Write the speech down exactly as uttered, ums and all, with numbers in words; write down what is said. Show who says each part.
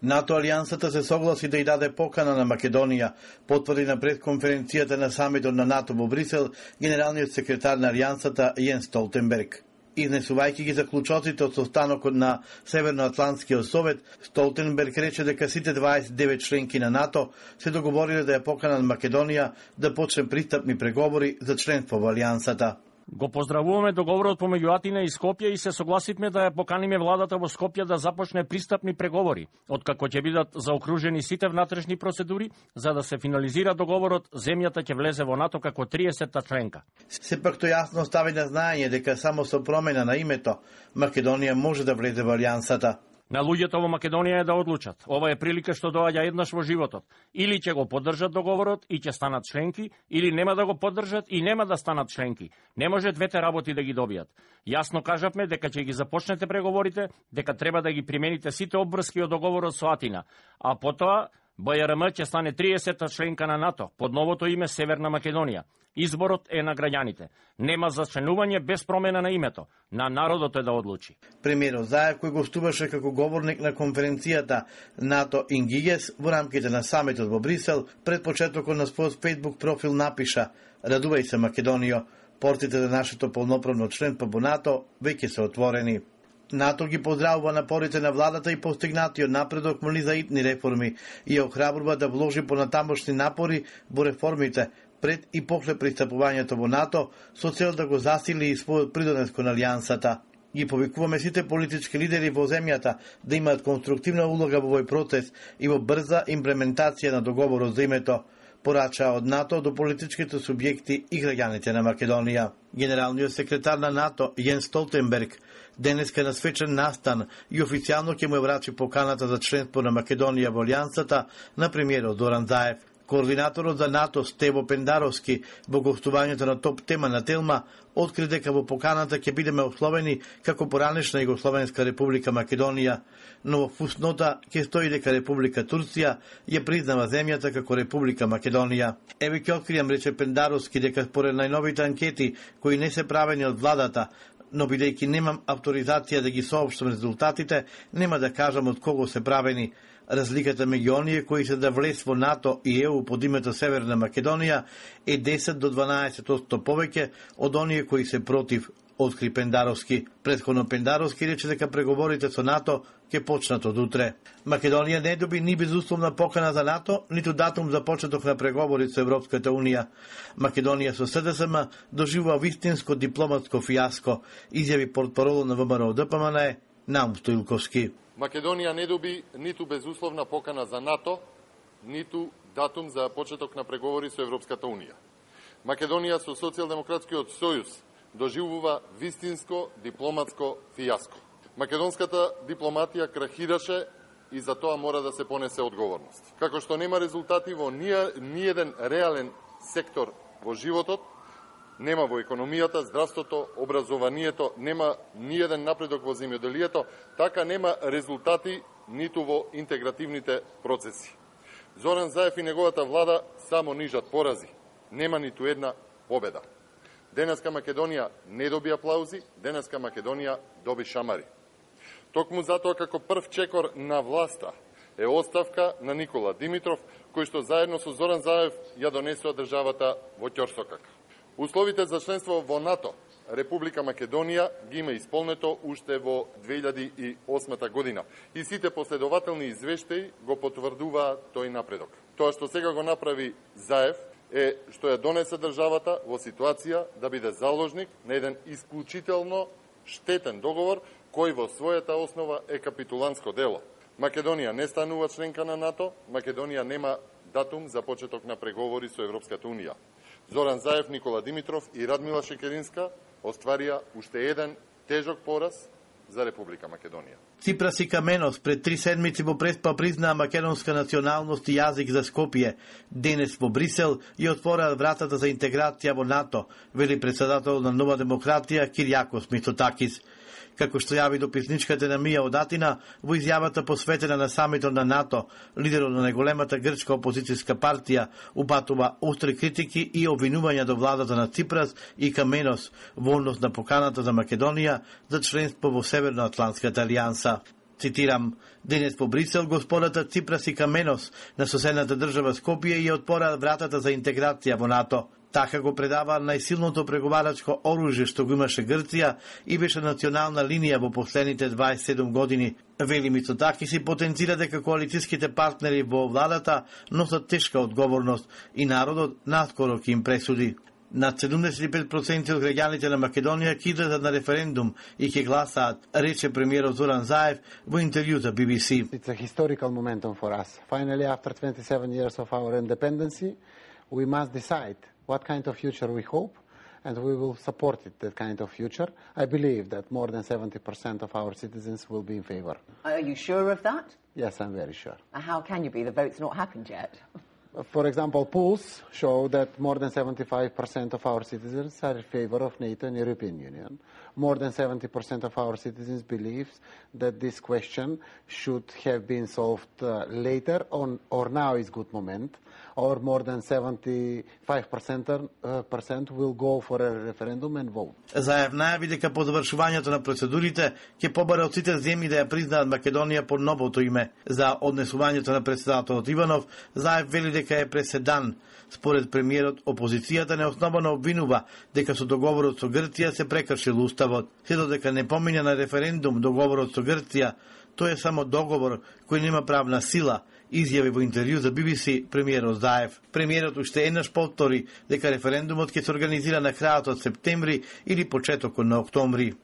Speaker 1: НАТО алијансата се согласи да ја даде покана на Македонија, потврди на предконференцијата на самитот на НАТО во Брисел генералниот секретар на алијансата Јенс Столтенберг. Изнесувајќи ги заклучоците од состанокот на Северноатлантскиот совет, Столтенберг рече дека сите дваесет и девет членки на НАТО се договориле да ја поканат Македонија да почне пристапни преговори за членство во алијансата.
Speaker 2: Го поздравуваме договорот помеѓу Атина и Скопје и се согласивме да ја поканиме владата во Скопје да започне пристапни преговори, откако ќе бидат заокружени сите внатрешни процедури, за да се финализира договорот, земјата ќе влезе во НАТО како триесетта членка.
Speaker 1: Сепак тој јасно стави на знаење дека само со промена на името Македонија може да влезе во алијансата.
Speaker 2: На луѓето во Македонија е да одлучат. Ова е прилика што доаѓа еднаш во животот. Или ќе го поддржат договорот и ќе станат членки, или нема да го поддржат и нема да станат членки. Не може двете работи да ги добијат. Јасно кажавме дека ќе ги започнете преговорите, дека треба да ги примените сите обврски од договорот со Атина, а потоа БЈРМ ќе стане триесетта членка на НАТО под новото име Северна Македонија. Изборот е на граѓаните. Нема зачленување без промена на името. На народот е да одлучи.
Speaker 1: Премиерот Заев, кој гостуваше како говорник на конференцијата НАТО Ингигес во рамките на самитот во Брисел, пред почетокот на својот Facebook профил напиша: "Радувај се, Македонијо, портите за нашето полноправно членство во НАТО веќе се отворени." НАТО ги поздравува напорите на владата и постигнатиот напредок моли за итни реформи и ја охрабрува да вложи понатамошни напори во реформите пред и после пристапувањето во НАТО со цел да го засили и својот придонес кон алијансата. Ги повикуваме сите политички лидери во земјата да имаат конструктивна улога во овој процес и во брза имплементација на договорот за името, порача од НАТО до политичките субјекти и граѓаните на Македонија. Генералниот секретар на НАТО Јенс Столтенберг денеска на свечен настан и официјално ќе му ја врачи поканата за членство на Македонија во алијансата на премиерот Зоран Заев. Координаторот за НАТО Стево Пендаровски во гостувањето на Топ тема на Телма откри дека во поканата ќе бидеме условени како поранешна Југословенска република Македонија, но во фуснота ќе стои дека Република Турција ја признава земјата како Република Македонија. Еве ќе откријам, рече Пендаровски, дека според најновите анкети кои не се правени од владата, но бидејќи немам авторизација да ги соопштам резултатите, нема да кажам од кого се правени. Разликата меѓу оние кои се да влез во НАТО и ЕУ под името Северна Македонија е десет до дванаесет одсто повеќе од оние кои се против, откри Пендаровски. Претходно Пендаровски рече дека преговорите со НАТО ќе почнат од утре. Македонија не доби ни безусловна покана за НАТО, ниту датум за почеток на преговори со Европската Унија. Македонија со СДСМ доживува вистинско дипломатско фијаско, изјави портпаролот на ВМРО ДПМН Наум Стоилковски.
Speaker 3: Македонија не доби ниту безусловна покана за НАТО, ниту датум за почеток на преговори со Европската Унија. Македонија со Социјалдемократскиот сојуз доживува вистинско дипломатско фијаско. Македонската дипломатија крахираше и за тоа мора да се понесе одговорност. Како што нема резултати во ниеден реален сектор во животот, нема во економијата, здравството, образованието, нема ниеден напредок во земјоделието, така нема резултати ниту во интегративните процеси. Зоран Заев и неговата влада само нижат порази, нема ниту една победа. Денеска Македонија не доби аплаузи, денеска Македонија доби шамари. Токму затоа како прв чекор на власта е оставка на Никола Димитров, кој што заедно со Зоран Заев ја донесува државата во ќорсокак. Условите за членство во НАТО Република Македонија ги има исполнето уште во две илјади и осма година и сите последователни извештаи го потврдуваат тој напредок. Тоа што сега го направи Заев е што ја донесе државата во ситуација да биде заложник на еден исклучително штетен договор кој во својата основа е капитуланско дело. Македонија не станува членка на НАТО, Македонија нема датум за почеток на преговори со Европската Унија. Зоран Заев, Никола Димитров и Радмила Шекеринска остварија уште еден тежок пораз за Република Македонија.
Speaker 1: Ципрас и Каменос пред три седмици во Преспа признаа македонска националност и јазик за Скопје. Денес во Брисел ја отвораа вратата за интеграција во НАТО, вели председател на Нова демократија Киријакос Мицотакис. Како што јави дописничката на Мија од Атина, во изјавата посветена на самитот на НАТО, лидерот на најголемата грчка опозицијска партија упатува остри критики и обвинувања до владата на Ципрас и Каменос во однос на поканата за Македонија за членство во Северноатлантската алијанса. Цитирам: денес по Брисел господата Ципрас и Каменос на соседната држава Скопје ја отпораат вратата за интеграција во НАТО. Така го предава најсилното преговарачко оружје што го имаше Грција и беше национална линија во последните дваесет и седум години. Вели Мицотакис и потенцира дека коалицијските партнери во владата носат тешка одговорност и народот наскоро ќе им пресуди. Над седумдесет и пет проценти од граѓаните на Македонија ќе излезат на референдум и ќе гласаат, рече премиерот Зоран Заев во интервју за Би Би Си.
Speaker 4: It's a historical momentum for us. Finally, after twenty-seven years of our independence, we must decide what kind of future we hope, and we will support it, that kind of future. I believe that more than seventy percent of our citizens will be in favor.
Speaker 5: Are you sure of that?
Speaker 4: Yes, I'm very sure.
Speaker 5: And how can you be? The vote's not happened yet.
Speaker 4: For example, polls show that more than seventy-five percent of our citizens are in favor of NATO and European Union. More than seventy percent of our citizens believe that this question should have been solved uh, later on, or now is good moment, or more than seventy-five percent uh, percent will go for a referendum and vote.
Speaker 1: Заев најави дека по завршувањето на процедурите ќе побара од сите земји да ја признаат Македонија по новото име. За однесувањето на председателот Иванов, Заев вели дека е преседан. Според премиерот, опозицијата неосновано обвинува дека со договорот со Грција се прекршил уставот. Се додека не помине на референдум договорот со Грција, тој е само договор кој нема правна сила, изјави во интервју за Би Би Си премиерот Заев. Премиерот уште еднаш повтори дека референдумот ќе се организира на крајот од септември или почетокот на октомври.